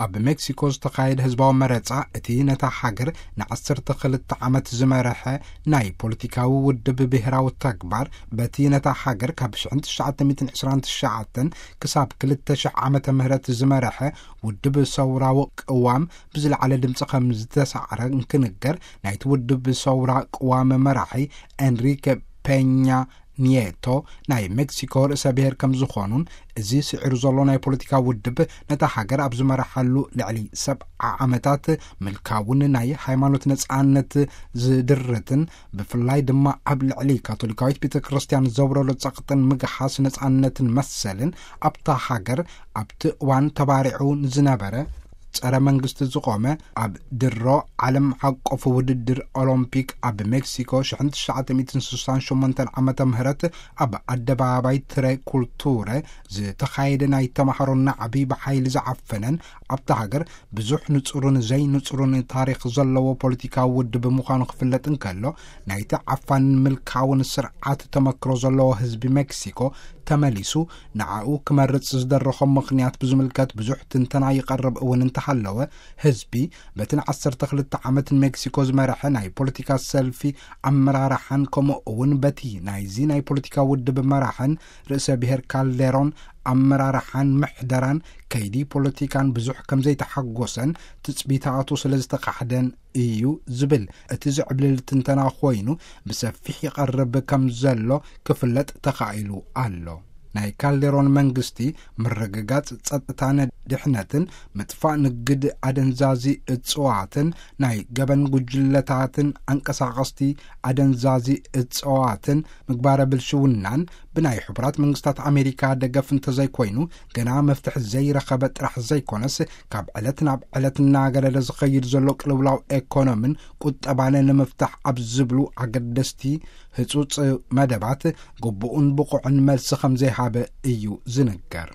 ኣብ ሜክሲኮ ዝተኻየደ ህዝባዊ መረጻ፣ እቲ ነታ ሃገር ንዓሰርተ ክልተ ዓመት ዝመረሐ ናይ ፖለቲካዊ ውድብ ብሄራዊ ተግባር፣ በቲ ነታ ሃገር ካብ ሽሕን ትሽዓተ ሚእትን ዕስራን ትሽዓተን ክሳብ ክልተ ሽሕ ዓመተ ምህረት ዝመረሐ ውድብ ሰውራዊ ቅዋም ብዝለዓለ ድምፂ ከም ዝተሳዕረ እንክንገር፣ ናይቲ ውድብ ሰውራ ቅዋም መራሒ ኤንሪክ ፔኛ ኒየቶ ናይ ሜክሲኮ ርእሰ ብሔር ከም ዝኾኑን፣ እዚ ስዒሩ ዘሎ ናይ ፖለቲካ ውድብ ነታ ሃገር ኣብ ዝመርሓሉ ልዕሊ ሰብዓ ዓመታት ምልካውን ናይ ሃይማኖት ነጻነት ዝድርትን፣ ብፍላይ ድማ ኣብ ልዕሊ ካቶሊካዊት ቤተ ክርስቲያን ዘውረዶ ጸቕጥን ምግሃስ ነጻነትን መሰልን ኣብታ ሃገር ኣብቲ እዋን ተባሪዑ ንዝነበረ ጸረ መንግስቲ ዝቖመ ኣብ ድሮ ዓለም ዓቀፍ ውድድር ኦሎምፒክ ኣብ ሜክሲኮ ሽሕን ትሽዓተ ሚእትን ስሳን ሸሞንተን ዓመተ ምህረት ኣብ ኣደባባይ ትረ ኩልቱረ ዝተኻየደ ናይ ተማሃሮ ናዕቢ ብሓይሊ ዝዓፈነን ኣብታ ሃገር ብዙሕ ንጹርን ዘይንጹርን ታሪኽ ዘለዎ ፖለቲካዊ ውድብ ምዃኑ ክፍለጥ እንከሎ፣ ናይቲ ዓፋንን ምልካውን ስርዓት ተመክሮ ዘለዎ ህዝቢ ሜክሲኮ ተመሊሱ ንዓኡ ክመርጽ ዝደረኾ ምኽንያት ብዝምልከት ብዙሕ ትንተና ይቐርብ እውን እንተሃለወ፣ ህዝቢ በቲ ንዓሰርተ ክልተ ዓመት ንሜክሲኮ ዝመርሐ ናይ ፖለቲካ ሰልፊ ኣመራርሓን ከምኡ እውን በቲ ናይዚ ናይ ፖለቲካ ውድብ መራሕን ርእሰ ብሔር ካልዴሮን ኣመራርሓን ምሕደራን ከይዲ ፖለቲካን ብዙሕ ከም ዘይተሓጎሰን ትጽቢታቱ ስለ ዝተኻሕደን እዩ ዝብል እቲ ዝዕብልል ትንተና ኮይኑ ብሰፊሕ ይቐርብ ከም ዘሎ ክፍለጥ ተኻኢሉ ኣሎ። ናይ ካልዴሮን መንግስቲ ምርግጋጽ ጸጥታን ድሕነትን፣ ምጥፋእ ንግድ ኣደንዛዚ እጽዋትን ናይ ገበን ጉጅለታትን ኣንቀሳቐስቲ ኣደንዛዚ እጽዋትን ምግባረ ብልሽውናን ብናይ ሕቡራት መንግስታት ኣሜሪካ ደገፍ እንተዘይኮይኑ፣ ገና መፍትሒ ዘይረኸበ ጥራሕ ዘይኮነስ፣ ካብ ዕለት ናብ ዕለት እናገደደ ዝኸይድ ዘሎ ቅልውላው ኤኮኖምን ቁጠባን ንምፍታሕ ኣብ ዝብሉ ኣገደስቲ ህጹጽ መደባት ግቡእን ብቑዕን መልሲ ከም ዘይሃበ እዩ ዝንገር።